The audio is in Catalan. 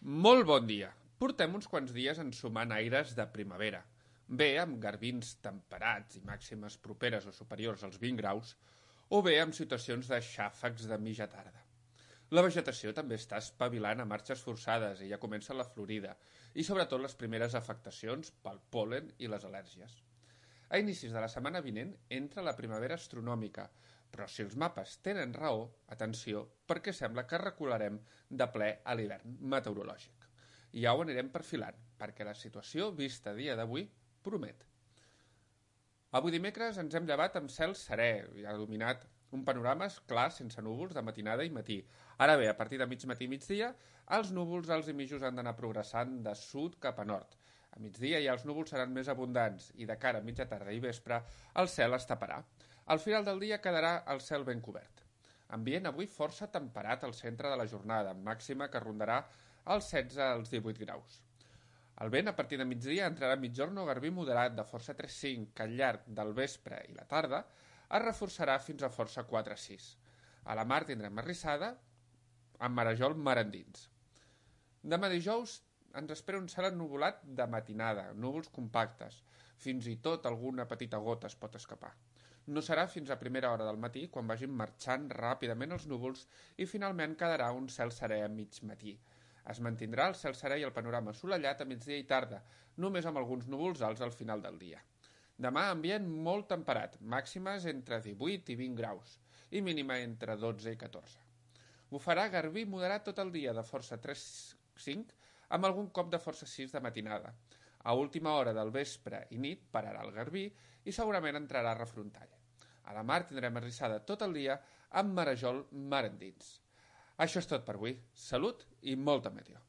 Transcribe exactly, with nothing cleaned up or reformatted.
Molt bon dia. Portem uns quants dies ensumant aires de primavera. Bé amb garbins temperats i màximes properes o superiors als vint graus, o bé amb situacions de xàfecs de mitja tarda. La vegetació també està espavilant a marxes forçades i ja comença la florida, i sobretot les primeres afectacions pel pol·len i les al·lèrgies. A inicis de la setmana vinent entra la primavera astronòmica, però si els mapes tenen raó, atenció, perquè sembla que recularem de ple a l'hivern meteorològic. I ja ho anirem perfilant, perquè la situació vista a dia d'avui promet. Avui dimecres ens hem llevat amb cel serè, i ha dominat un panorama clar sense núvols de matinada i matí. Ara bé, a partir de mig matí i migdia, els núvols alts i mitjos han d'anar progressant de sud cap a nord. A migdia ja els núvols seran més abundants i de cara a mitja tarda i vespre el cel es taparà. Al final del dia quedarà el cel ben cobert. Ambient avui força temperat al centre de la jornada, amb màxima que rondarà els setze als divuit graus. El vent a partir de migdia entrarà a mitjorn o garbí moderat de força tres cinc, que al llarg del vespre i la tarda es reforçarà fins a força quatre sis. A la mar tindrem arrissada amb marejol mar endins. Demà dijous ens espera un cel ennuvolat de matinada, núvols compactes. Fins i tot alguna petita gota es pot escapar. No serà fins a primera hora del matí quan vagin marxant ràpidament els núvols i finalment quedarà un cel serè a mig matí. Es mantindrà el cel serè i el panorama assolellat a migdia i tarda, només amb alguns núvols alts al final del dia. Demà ambient molt temperat, màximes entre divuit i vint graus i mínima entre dotze i catorze. Bufarà garbí moderat tot el dia de força tres cinc amb algun cop de força sis de matinada. A última hora del vespre i nit pararà el garbí i segurament entrarà refrontall. A la mar tindrem arrissada tot el dia amb marejol mar endins. Això és tot per avui. Salut i molta meteo.